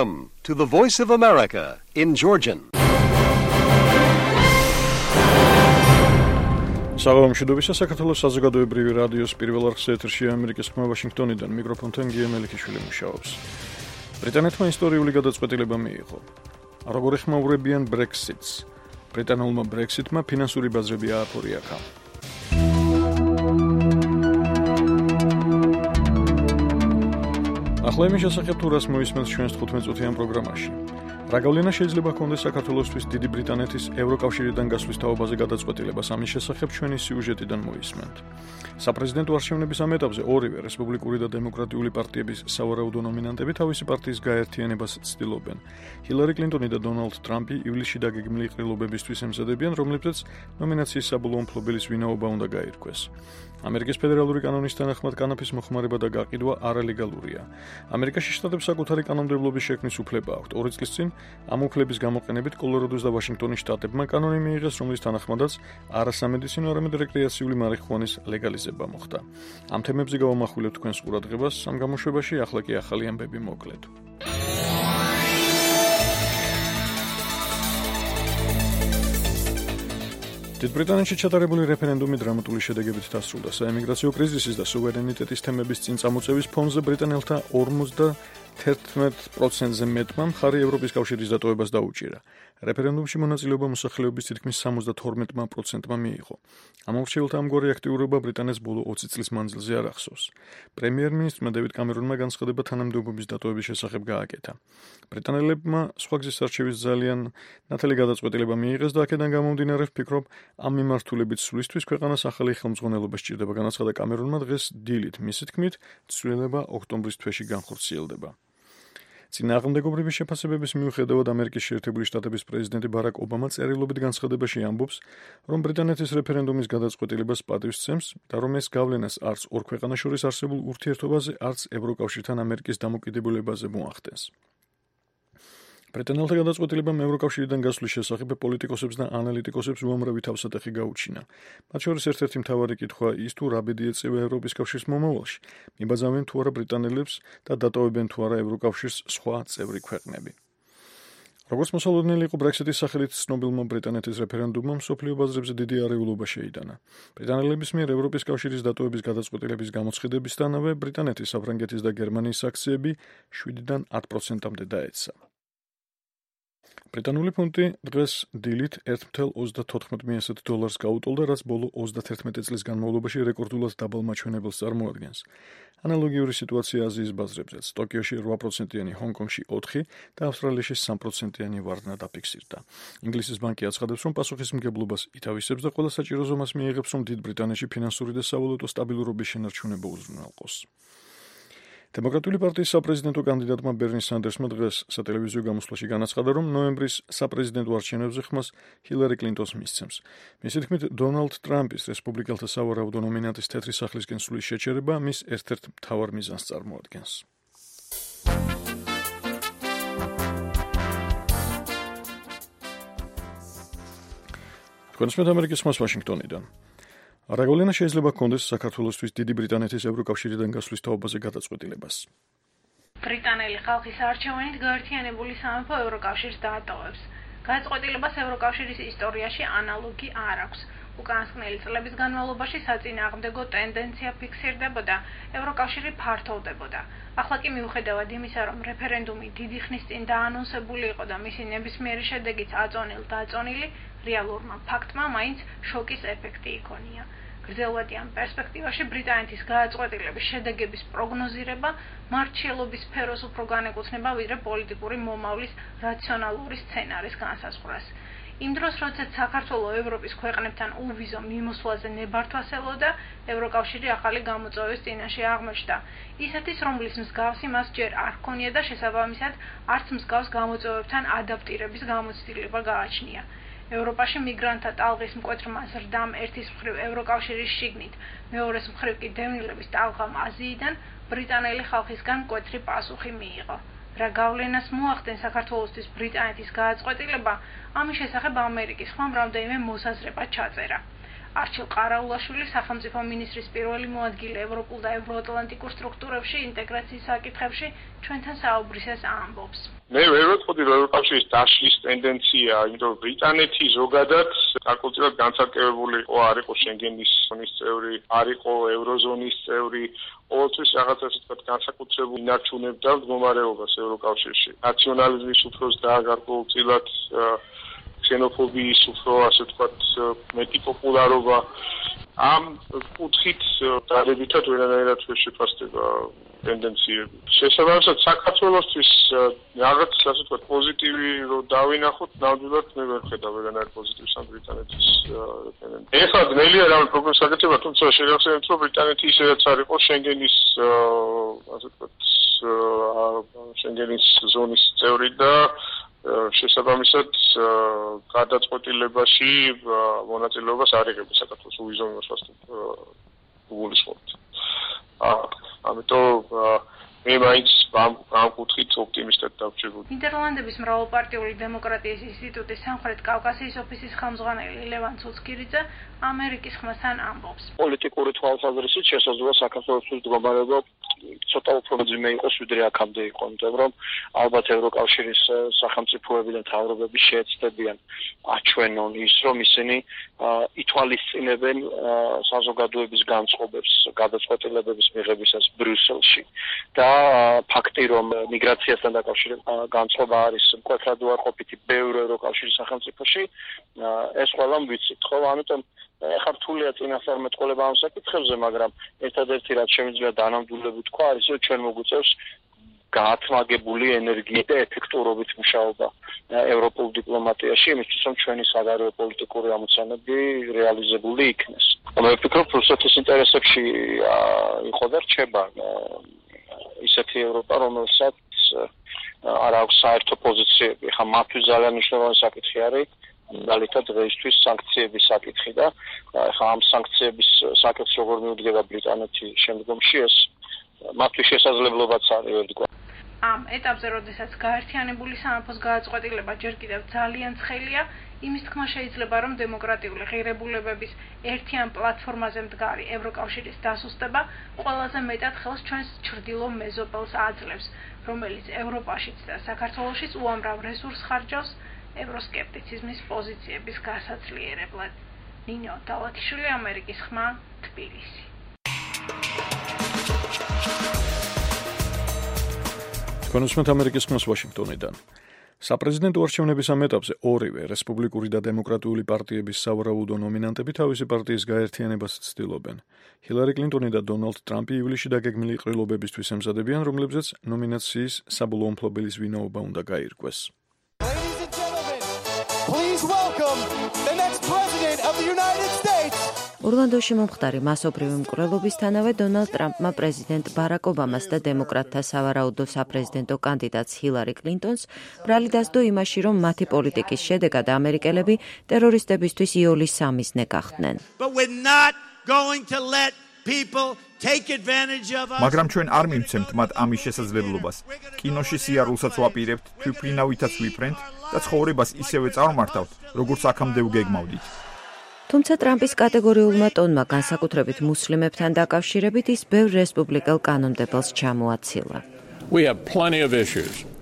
Welcome to the Voice of America in Georgian. საღამომშვიდობისა საქართველოს საზოგადოებრივი რადიოს პირველ არხზე ეთერშია ამერიკის ხმა ვაშინგტონიდან მიკროფონთან გია მელიქიშვილი მუშაობს. ბრიტანეთმა ისტორიული გადაწყვეტილება მიიღო. როგორ ეხმაურებიან Brexit-ს? ბრიტანულმა Brexit-მა ფინანსური ბაზრები ააფორიახა. ახლა იმის შესახებ თუ რას მოისმენთ ჩვენს 15-წუთიან პროგრამაში. რა გავლენა შეიძლება ჰქონდეს საქართველოსთვის დიდი ბრიტანეთის ევროკავშირიდან გასვლის თაობაზე გადაწყვეტილებას, ამის შესახებ ჩვენი სიუჟეტიდან მოისმენთ. საპრეზიდენტო არჩევნების ამ ეტაპზე ორივე რესპუბლიკური და დემოკრატიული პარტიების სავარაუდო ნომინანტები თავისი პარტიის გაერთიანებას ცდილობენ. ჰილარი კლინტონი და დონალდ ტრამპი ივლისში დაგეგმილი ყრილობებისთვის ემზადებიან, რომლებზეც ნომინაციის საბოლოო მფლობელის ვინაობა უნდა გაირკვეს. ამერიკის ფედერალური კანონის თანახმად კანაფის მოხმარება და გაყიდვა არალეგალურია. ამერიკაში შტატებს საკუთარი კანონმდებლობის შექმნის უფლება აქვთ. 2 წლის წინ ამ უფლების გამოყენებით კოლორადოს და ვაშინგტონის შტატებმა კანონი მიიღეს, რომლის თანახმადაც არასამედიცინო, არამედ რეკრეაციული მარიხუანის ლეგალიზება მოხდა. ამ თემებზე გავამახვილებთ თქვენს ყურადღებას, ამ გამოშვებაში ახლა კი ახალი ამბები მოკლედ. დიდ ბრიტანეთში ჩატარებული რეფერენდუმი დრამატული შედეგებით დასრულდა. საემიგრაციო კრიზისის და სუვერენიტეტის თემების წინ წამოწევის ფონზე ბრიტანელთა 51%-ზე მეტმა მხარი ევროპის კავშირის დატოვებას დაუჭირა. რეფერენდუმში მონაწილეობა მოსახლეობის თითქმის 72%-მა მიიღო. ამორჩეულთა ამგვარი აქტიურობა ბრიტანეთს ბოლო 20 წლის მანძილზე არ ახსოვს. პრემიერ-მინისტრმა დევიდ კამერონმა განცხადება თანამდებობის დატოვების შესახებ გააკეთა. ბრიტანელებმა სხვა გზის არჩევის ძალიან ნათელი გადაწყვეტილება მიიღეს და აქედან გამომდინარე ვფიქრობ, ამ მიმართულებით სვლისთვის ქვეყანას ახალი ხელმძღვანელობა სჭირდება, განაცხადა კამერონმა დღეს დილით. მისი თქმით, ცვლილება ოქტომბრის თვეში განხორციელდება. წინააღმდეგობრივი შეფასებების მიუხედავად ამერიკის შეერთებული შტატების პრეზიდენტი ბარაკ ობამა წერილობით განცხადებაში ამბობს, რომ ბრიტანეთის რეფერენდუმის გადაწყვეტილებას პატივს სცემს და რომ ეს გავლენას არც ორ ქვეყანას შორის არსებულ ურთიერთობაზე, არც ევროკავშირთან ამერიკის დამოკიდებულებაზე მოახდენს. ბრიტანელთა გადაწყვეტილებამ ევროკავშირიდან გასვლის შესახებ პოლიტიკოსებს და ანალიტიკოსებს უამრავი თავსატეხი გაუჩინა. მათ შორის ერთ-ერთი მთავარი კითხვა ის თუ რა ბედი ეწევა ევროპის კავშირის მომავალში, მიბაძავენ თუ არა ბრიტანელებს და დატოვებენ თუ არა ევროკავშირის სხვა წევრი ქვეყნები. როგორც მოსალოდნელი იყო Brexit-ის სახელით ცნობილმა ბრიტანეთის რეფერენდუმმა მსოფლიო ბაზრებზე დიდი არეულობა შეიტანა. ბრიტანელების მიერ ევროპის კავშირის დატოვების გადაწყვეტილების გამოცხადებისთანავე ბრიტანეთის, საფრანგეთის და გერმანიის აქციები 7-დან 10%-მდე დაეცა. ბრიტანული ფუნტი დღეს დილით $1.34 გაუტოლდა, რაც ბოლო 31 წლის განმავლობაში რეკორდულად დაბალ მაჩვენებელს წარმოადგენს. ანალოგიური სიტუაცია აზიის ბაზრებზეც. ტოკიოში 8%-იანი, ჰონკონგში 4% და ავსტრალიაში 3%-იანი ვარდნა დაფიქსირდა. ინგლისის ბანკი აცხადებს, რომ პასუხისმგებლობას ითავისებს და ყველა საჭირო ზომას მიიღებს, რომ დიდ ბრიტანეთში ფინანსური და სავალუტო სტაბილურობის შენარჩუნება უზრუნველყოს. დემოკრატიული პარტიის საპრეზიდენტო კანდიდატმა ბერნი სანდერსმა დღეს სატელევიზიო გამოსვლაში განაცხადა, რომ ნოემბრის საპრეზიდენტო არჩევნებზე ხმას ჰილარი კლინტონს მისცემს. მისი თქმით, დონალდ ტრამპის რესპუბლიკელთა სავარაუდო ნომინანტის თეთრი სახლისკენ სვლის შეჩერება მის ერთ-ერთ მთავარ მიზანს წარმოადგენს. თქვენს ამერიკის ხმას ვაშინგტონიდან. რა გავლენა შეიძლება ჰქონდეს საქართველოსთვის დიდი ბრიტანეთის ევროკავშირიდან გასვლის თაობაზე გადაწყვეტილებას? ბრიტანელი ხალხის არჩევნით გაერთიანებული სამეფო ევროკავშირს დაატოვებს. გადაწყვეტილებას ევროკავშირის ისტორიაში ანალოგი არ აქვს. უკანასკნელი წლების განმავლობაში საწინააღმდეგო ტენდენცია ფიქსირდებოდა, ევროკავშირი ფართოვდებოდა. ახლა კი მიუხედავად იმისა, რომ რეფერენდუმი დიდი ხნის წინ დაანონსებული იყო და მისი ნებისმიერი შედეგიც აწონილ-დაწონილი, რეალურმა ფაქტმა მაინც შოკის ეფექტი იქონია. გრძელვადიან პერსპექტივაში ბრიტანეთის გადაწყვეტილების შედეგების პროგნოზირება მარჩიელობის სფეროს უფრო განეკუთვნება, ვიდრე პოლიტიკური მომავლის რაციონალური სცენარის განსაზღვრას. იმ დროს, როდესაც საქართველოს ევროპის ქვეყნებთან უვიზო მიმოსვლაზე ნებართვას ელოდა, ევროკავშირი ახალი გამოწვევის წინაშე აღმოჩნდა. ისეთის, რომლის მსგავსი მას ჯერ არ ჰქონია და შესაბამისად არც მსგავს გამოწვევებთან ადაპტირების გამოცდილება გააჩნია. ევროპაში მიგრანტთა ტალღის მკვეთრმა ზრდამ ერთის მხრივ ევროკავშირის შიგნით, მეორეს მხრივ კი დევნილების ტალღამ აზიიდან ბრიტანელი ხალხისგან მკვეთრი პასუხი მიიღო. რა გავლენას მოახდენს საქართველოსთვის ბრიტანეთის გადაწყვეტილება, ამის შესახებ ამერიკის ხმამ რამდენიმე მოსაზრება ჩაწერა. არჩილ ყარაულაშვილი სახელმწიფო მინისტრის პირველი მოადგილე ევროპულ და ევროატლანტიკურ სტრუქტურებში ინტეგრაციის საკითხებში ჩვენთან საუბრისას ამბობს. მე ვერ ვეტყოდი რომ ევროკავშირის დაშლის ტენდენცია, იმიტომ რომ ბრიტანეთი ზოგადად საკულტურად განცალკევებული არ იყო შენგენის ზონის წევრი, არ იყო ევროზონის წევრი, ყოველთვის რაღაცას თქვათ განსაკუთრებულ ინარჩუნებდა მდგომარეობას ევროკავშირში. ნაციონალიზმის უფროს და გარკვეულწილად ქსენოფობიის უფრო ასე ვთქვათ მეტი პოპულარობა ამ კუთხით დადებითად ვერანაირად ვერ შეფასდება ტენდენციები. შესაბამისად საქართველოსთვის რაღაც ასე ვთქვათ პოზიტივი რომ დავინახოთ, ნამდვილად მე ვერ ხედავ ვერანაირ პოზიტივს ამ ბრიტანეთის ტენდენციას. ეხლა ძნელია რამე პროგნოზს გაკეთება, თუმცა შეგახსენებთ რომ ბრიტანეთი ისედაც არ იყო შენგენის ასე ვთქვათ შენგენის ზონის წევრი და შესაბამისად გადაწყვეტილებაში მონაწილეობას არ იღებდა საქართველოს უვიზო გულისხმობთ. ამიტომ მე მაინც ამ კუთხით ოპტიმისტად დავჭირებული. ნიდერლანდების მრავალპარტიული დემოკრატიის ინსტიტუტის სამხრეთ კავკასიის ოფისის ხელმძღვანელი ლევან ცუცკირიძე ამერიკის ხმასთან ამბობს. პოლიტიკური თვალსაზრისით შესაძლოა საქართველოს მდგომარეობა ცოტა უფრო მძიმე იყოს, ვიდრე აქამდე იყო, იმიტომ რომ ალბათ ევროკავშირის სახელმწიფოები და მთავრობები შეეცდებიან აჩვენონ ის, რომ ისინი ითვალისწინებენ საზოგადოების განწყობებს, გადაწყვეტილებების მიღებისას ბრიუსელში და ფაქტი, რომ მიგრაციასთან დაკავშირებით განწყობა არის მკვეთრად უარყოფითი ბევრ ევროკავშირის სახელმწიფოში, ეს ყველა ვიცით, ხო? ამიტომ ეხლა რთულია წინასწარმეტყველება ამ საკითხებზე, მაგრამ ერთადერთი რაც შემიძლია დანამდვილებით თქვა, არის რომ ჩვენ მოგვიწევს გაათმაგებული ენერგიით და ეფექტურობით მუშაობა ევროპულ დიპლომატიაში, იმისთვის რომ ჩვენი საგარეო პოლიტიკური ამოცანები რეალიზებული იქნეს. მე ვფიქრობ, რუსეთის ინტერესებში იყო და რჩება ისეთი ევროპა, რომელსაც არ აქვს საერთო პოზიციები. ხა მათთვის ძალიან მნიშვნელოვანი საკითხი არის მაგალითად დღეისთვის სანქციების საკითხი და ხა ამ სანქციების საკითხს როგორ მიუდგება ბრიტანეთი შემდგომში, ეს მათთვის შესაძლებლობაც არის ვერდგვა. ამ ეტაპზე, როდესაც გაერთიანებული სამეფოს გადაწყვეტილება ჯერ კიდევ ძალიან ცხელია, იმის თქმა შეიძლება, რომ დემოკრატიული ღირებულებების ერთიან პლატფორმაზე მდგარი ევროკავშირის დასუსტება ყველაზე მეტად ხელს ჩვენს ჩრდილო მეზობელს აძლევს, რომელიც ევროპაშიც და საქართველოშიც უამრავ რესურსს ხარჯავს ევროსკეპტიციზმის პოზიციების გასაძლიერებლად. ნინო დალათიშვილი, ამერიკის ხმა, თბილისი. თქვენ უსმენთ ამერიკის ხმას ვაშინგტონიდან. საპრეზიდენტო არჩევნების ამ ეტაპზე ორივე რესპუბლიკური და დემოკრატიული პარტიების სავარაუდო ნომინანტები თავისი პარტიის გაერთიანებას ცდილობენ. ჰილარი კლინტონი და დონალდ ტრამპი ივლისში დაგეგმილი ყრილობებისთვის ემზადებიან, რომლებზეც ნომინაციის საბოლოო მფლობელის ვინაობა უნდა გაირკვეს. Please welcome the next president of the United States. ორლანდოში მომხდარი მასობრივი მკვლელობისთანავე დონალდ ტრამპმა პრეზიდენტ ბარაკ ობამას და დემოკრატთა სავარაუდო საპრეზიდენტო კანდიდატს ჰილარი კლინტონს ბრალი დასდო იმაში, რომ მათი პოლიტიკის შედეგად ამერიკელები ტერორისტებისთვის იოლის სამიზნე გახდნენ. მაგრამ ჩვენ არ მივცემთ მათ ამის შესაძლებლობას. კინოში სიარულსაც ვაპირებთ, თვითმფრინავითაც ვიფრენთ და ცხოვრებას ისევე წარმართავთ, როგორც აქამდე ვგეგმავდით. თუმცა ტრამპის კატეგორიულმა ტონმა განსაკუთრებით მუსლიმებთან დაკავშირებით ის ბევრ რესპუბლიკელ კანონმდებელს ჩამოაცილა.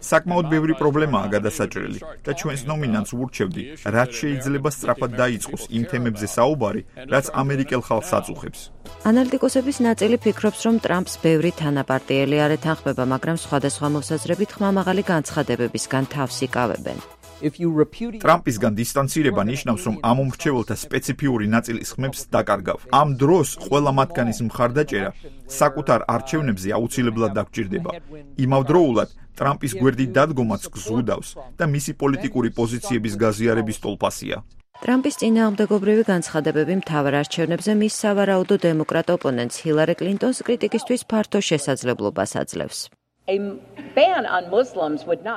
საკმაოდ ბევრი პრობლემაა გადასაჭრელი და ჩვენს ნომინანტს ვურჩევდი, რაც შეიძლება სწრაფად დაიწყოს იმ თემებზე საუბარი, რაც ამერიკელ ხალხს აწუხებს. ანალიტიკოსების ნაწილი ფიქრობს, რომ ტრამპს ბევრი თანაპარტიელი არ ეთანხმება, მაგრამ სხვადასხვა მოსაზრებით ხმამაღალი განცხადებებისგან თავს იკავებენ. ტრამპისგან დისტანცირება ნიშნავს, რომ ამ უმრჩეველთა სპეციფიური ნაწილის ხმებს დაკარგავ. ამ დროს ყველა მათგანის მხარდაჭერა საკუთარ არჩევნებზე აუცილებლად დაგჭირდება. იმავდროულად ტრამპის გვერდით დადგომაც გზუდავს და მისი პოლიტიკური პოზიციების გაზიარების ტოლფასია. ტრამპის წინააღმდეგობრივი განცხადებები მთავარ არჩევნებზე მის სავარაუდო დემოკრატ ოპონენტს ჰილარი კლინტონს კრიტიკისთვის ფართო შესაძლებლობას აძლევს.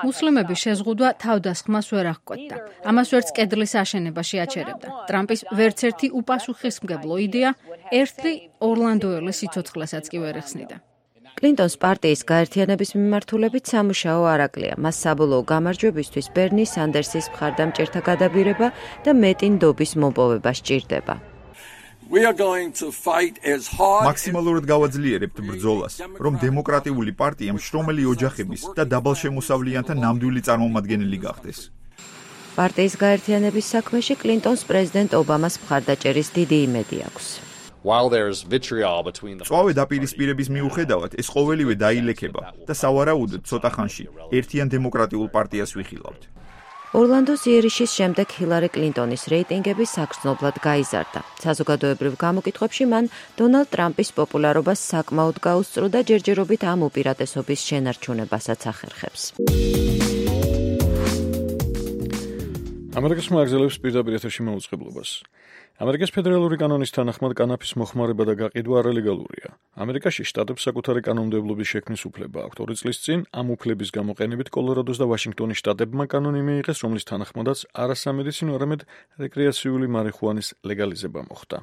მუსლიმების შეზღუდვა თავდასხმას ვერ აღკვეთდა. ამას ვერც კედლის აშენება შეაჩერებდა. ტრამპის ვერცერთი უპასუხისმგებლო იდეა ერთლი ორლანდოელის სიცოცხლესაც კი ვერ ეხსნიდა. კლინტონს პარტიის გაერთიანების მიმართულებით სამუშაო არ აკლია. მას საბოლოო გამარჯვებისთვის ბერნი სანდერსის მხარდამჭერთა გადაბირება და მეტი ნდობის მოპოვება სჭირდება. We are going to fight as hard მაქსიმალურად გავაძლიერებთ ბრძოლას, რომ დემოკრატიული პარტიამ შრომელი ოჯახების და დაბალშემოსავლიანთა ნამდვილი წარმომადგენელი გახდეს. პარტიის გაერთიანების საქმეში კლინტონს პრეზიდენტ ობამას მხარდაჭერის დიდი იმედი აქვს. წვავე დაპირისპირების მიუხედავად, ეს ყოველივე დაილექება და სავარაუდოდ ცოტა ხანში ერთიან დემოკრატიულ პარტიას ვიხილავთ. ორლანდოს იერიშის შემდეგ ჰილარი კლინტონის რეიტინგები საგრძნობლად გაიზარდა. საზოგადოებრივ გამოკითხვებში მან დონალდ ტრამპის პოპულარობას საკმაოდ გაუსწრო და ჯერჯერობით ამ უპირატესობის შენარჩუნებასაც ახერხებს. ამერიკის მოაგზელებს პირდაპირ ეთერში მოუწყებლობას. ამერიკის ფედერალური კანონის თანახმად კანაფის მოხმარება და გაყიდვა არალეგალურია. ამერიკაში შტატებს საკუთარი კანონმდებლობის შექმნის უფლება აქვთ. 2 წლის წინ ამ უფლების გამოყენებით კოლორადოს და ვაშინგტონის შტატებმა კანონი მიიღეს, რომლის თანახმადაც არასამედიცინო, არამედ რეკრეაციული მარიხუანის ლეგალიზება მოხდა.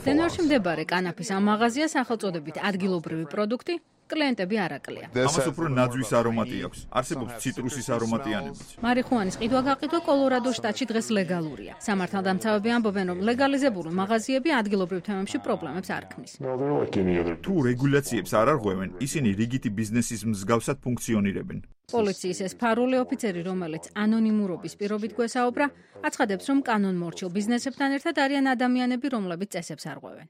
დენვერში მდებარე კანაფის ამ მაღაზიას სახელწოდებით ადგილობრივი პროდუქტი კლიენტები არ აკლია. ამას უფრო ნაძვის არომატი აქვს. არსებობს ციტრუსის არომატიანებიც. მარიხუანის ყიდვა-გაყიდვა კოლორადოს შტატში დღეს ლეგალურია. სამართალდამცავები ამბობენ, რომ ლეგალიზებული მაღაზიები ადგილობრივ თემებში პრობლემებს არ ქმნის. თუ რეგულაციებს არ არღვევენ, ისინი რიგითი ბიზნესის მსგავსად ფუნქციონირებენ. პოლიციის ეს ფარული ოფიცერი, რომელიც ანონიმურობის პირობით გვესაუბრა, აცხადებს, რომ კანონმორჩილ ბიზნესებთან ერთად არიან ადამიანები, რომლებიც წესებს არღვევენ.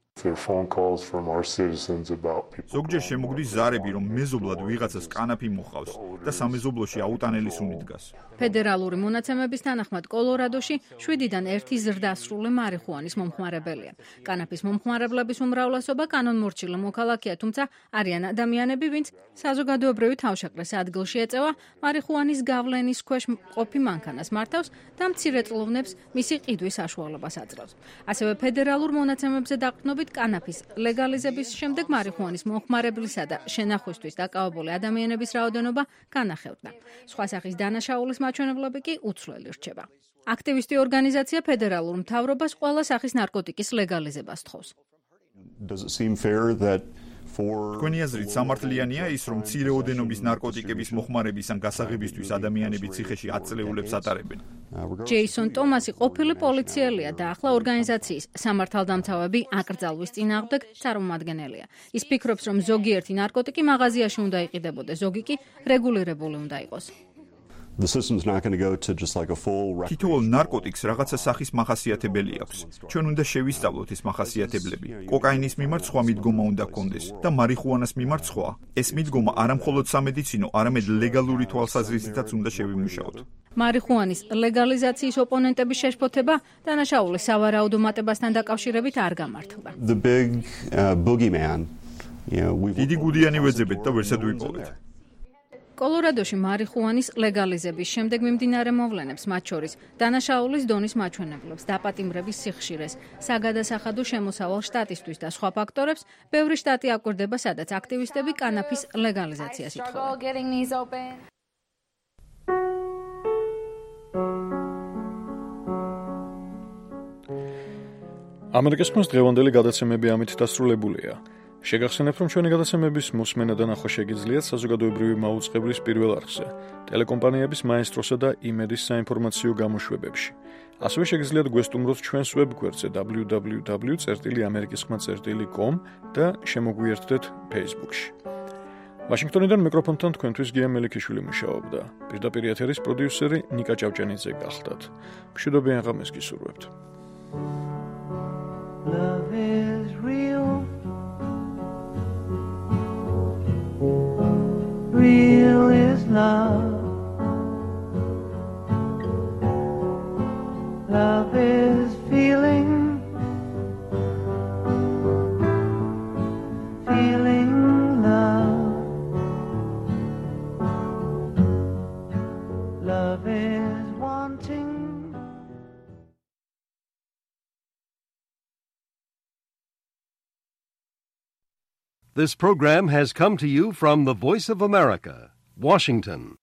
ზოგჯერ შემოგვდის ზარები, რომ მეზობლად ვიღაცას კანაფი მოყავს და სამეზობლოში აუტანელი სუნი დგას. ფედერალური მონაცემების თანახმად კოლორადოში 7-დან 1 ზრდასრული მარიხუანის მომხმარებელია. კანაფის მომხმარებლების უმრავლესობა კანონმორჩილი მოქალაქეა, თუმცა არიან ადამიანები, ვინც საზოგადოებრივი თავშეყრის ადგილში ეწევა მარიხუანის გავლენის ქვეშ მყოფი მანქანას მართავს და მცირეწლოვნებს მისი ყიდვის საშუალებას აძლევს. ასევე ფედერალურ მონაცემებზე დაყრდნობით კანაფის ლეგალიზების შემდეგ მარიხუანის მომხმარებლისა და შენახვისთვის დაკავებული ადამიანების რაოდენობა განახევდა. სხვა სახის დანაშაულის მაჩვენებლები კი უცვლელი რჩება. აქტივისტი ორგანიზაცია ფედერალურ მთავრობას ყველა სახის ნარკოტიკის ლეგალიზებას თხოვს. თქვენი აზრით სამართლიანია ის, რომ მცირე ოდენობის ნარკოტიკების მოხმარების ან გასაღებისთვის ადამიანები ციხეში 10 წლეულებს ატარებენ? ჯეისონ ტომასი ყოფილი პოლიციელია და ახლა ორგანიზაციის სამართალდამცავები აკრძალვის წინააღმდეგ წარმომადგენელია. ის ფიქრობს, რომ ზოგიერთი ნარკოტიკი მაღაზიაში უნდა იყიდებოდეს, ზოგი კი რეგულირებული უნდა იყოს. თითოეულ ნარკოტიკს რაღაცა სახის მახასიათებელი აქვს. ჩვენ უნდა შევისწავლოთ ეს მახასიათებლები. კოკაინის მიმართ სხვა მიდგომა უნდა გქონდეს და მარიხუანას მიმართ სხვა. ეს მიდგომა არა მხოლოდ სამედიცინო, არამედ ლეგალური თვალსაზრისითაც უნდა შევიმუშაოთ. მარიხუანის ლეგალიზაციის ოპონენტების შეშფოთება დანაშაულის სავარაუდო მატებასთან დაკავშირებით არ გამართლდა. დიდი გუდიანი ვეძებეთ და ვერსად ვიპოვეთ. კოლორადოში მარიხუანის ლეგალიზების შემდეგ მიმდინარე მოვლენებს, მათ შორის დანაშაულის დონის მაჩვენებლებს, დაპატიმრების სიხშირეს, საგადასახადო შემოსავალ შტატისთვის და სხვა ფაქტორებს, ბევრი შტატი აკვირდება, სადაც აქტივისტები კანაფის ლეგალიზაციას ითხოვენ. ამერიკის ხმის დღევანდელი გადაცემები ამით დასრულებულია. შეგახსენებთ, რომ ჩვენი გადაცემების მოსმენა და ნახვა შეგიძლიათ საზოგადოებრივი მაუწყებლის პირველ არხზე, ტელეკომპანიების მაესტროსა და იმედის საინფორმაციო გამოშვებებში. ასევე შეგიძლიათ გვესტუმროთ ჩვენს ვებგვერდზე www.amerikiskhma.com და შემოგვიერთდეთ Facebook-ში. ვაშინგტონიდან მიკროფონთან თქვენთვის გია მელიქიშვილი მუშაობდა. პირდაპირ ეთერის პროდიუსერი ნიკა ჭავჭანიძე გახლდათ. მშვიდობიან ღამეს გისურვებთ. Love is real. Real is love. Love is feeling. Feeling love. Love is wanting. This program has come to you from the Voice of America, Washington.